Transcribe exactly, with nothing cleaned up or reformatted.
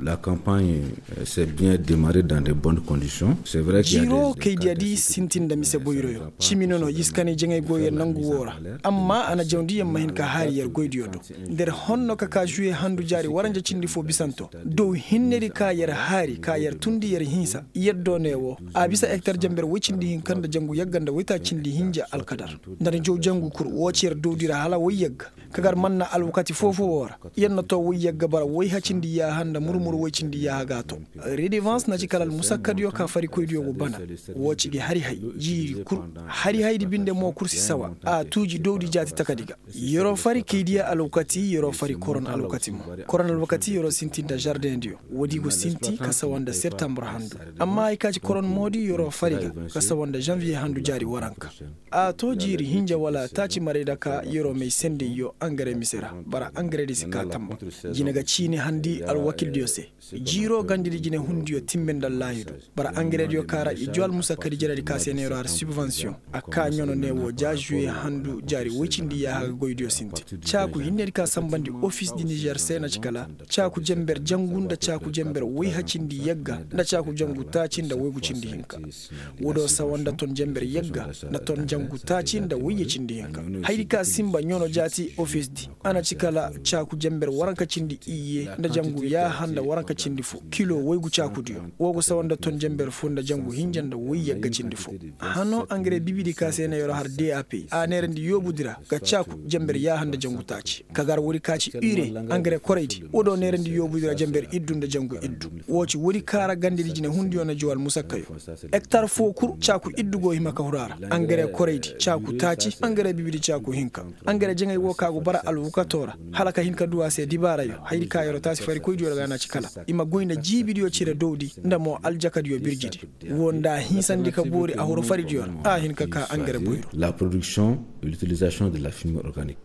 La campagne s'est bien démarrée dans de bonnes conditions. Jiiro kay diya di sintin nda mise boyroyo cimi nono yiskanay jaŋay goyo nangu woo ra. Amma a na jawndi yer ma hin ka haari yer goydiyo do. Nda yer honno ka ka žuwe handu jaari waranja cindi foo bisanto dow hinnedi ka yer haari ka yer tundi yer hinsa yer do ne woo a bisa ektar jamber woy cindi hinka nda jangu yagga nda woytaaci cindi hinja alkadar. Nda ni jaw jangu kul woo ci yer dowdi ra hala woy yagga ka gar man na alwakati foo-foo woo ra. Yer na too woy yagga bara woy hacindi yaaha nda mur-mur woy cindi yaaha ga a too. Redevans na ci kala almusakkadiyo ka farikoydiyo go bana. Woo ci gi hari-hay jiiri kul hari-haydi binde mo kul si sawa a tuuji dowdi jaati takadi ga. Yer'o fari kay diya alwakati yer'o fari koron alwakati mo. Koron alwakati yer'o sinti nda žardeŋdiyo woodi go sinti ka sawa nda septambur handu. Amma hay ka ci koron moodi yer'o fari ga ka sawa nda žanviye handu jaari waranka. A to jiiri hinja wala taaci maray daka yer'o may sendey yo angare mise ra. Bara angaredi si kaa tamba. Jine ga ciini handi alwakildiyo se. Jiiro gandidi jine hundiyo timbe nda allaahidu. Bara angarediyo ka ra i joo almusakkadi jeredi ka se ne yer'o har sibvansiyoŋ. A kaa ɲano ne woo ja žuwe handu jaari woy cindi yaaha ga goydiyo sinti. Caaku hinnedi ka sanbandi ofis di nizer se na ci kala caaku jenber jangu nda caaku jenber woy hacindi yagga nda caaku jangu taaci nda woygu cindi hinka. Woo do sawa nda ton jenber yagga nda ton jangu taaci nda woyye cindi hinka. Hayadi ka sinba ɲano jaati ofis di a na ci kala caaku jenber waranka cindi iyye nda jangu yaaha nda waranka cindi foo kilo woygu caakudiyo. Woo go sawa nda ton jenber foo nda jangu hinja nda woy yagga cindi foo. Hano angare bibidi ka se na yer'o har dap a neerandi yoobudi ra ga caaku jenber yaaha nda jangu taaci ka gar woodi ka ci ire. Angare koraydi woo do neerandi yoobudi ra jenber iddu nda jangu iddu. Woo ci woodi ka ra gandidi jine hundiyo na joo almusakkayo. Ektar foo kul caaku iddu go hima ka huru a ra. Angare koraydi caaku taaci angare bibidi caaku hinka. Angare jaŋay woo ka go bara alwakatoo ra hala ka hin ka duu a se dibaarayo hayadi ka yer'o taasi farikoydiyo ra ga na ci kala i ma goy nda jiibidiyo cire dowdi nda mo aljakadiyo birjidi. Woo nda a hinsandi ka boori a huru faridiyo ra a hin ka kaa angare boyro. La production de l'utilisation de la fumée organique.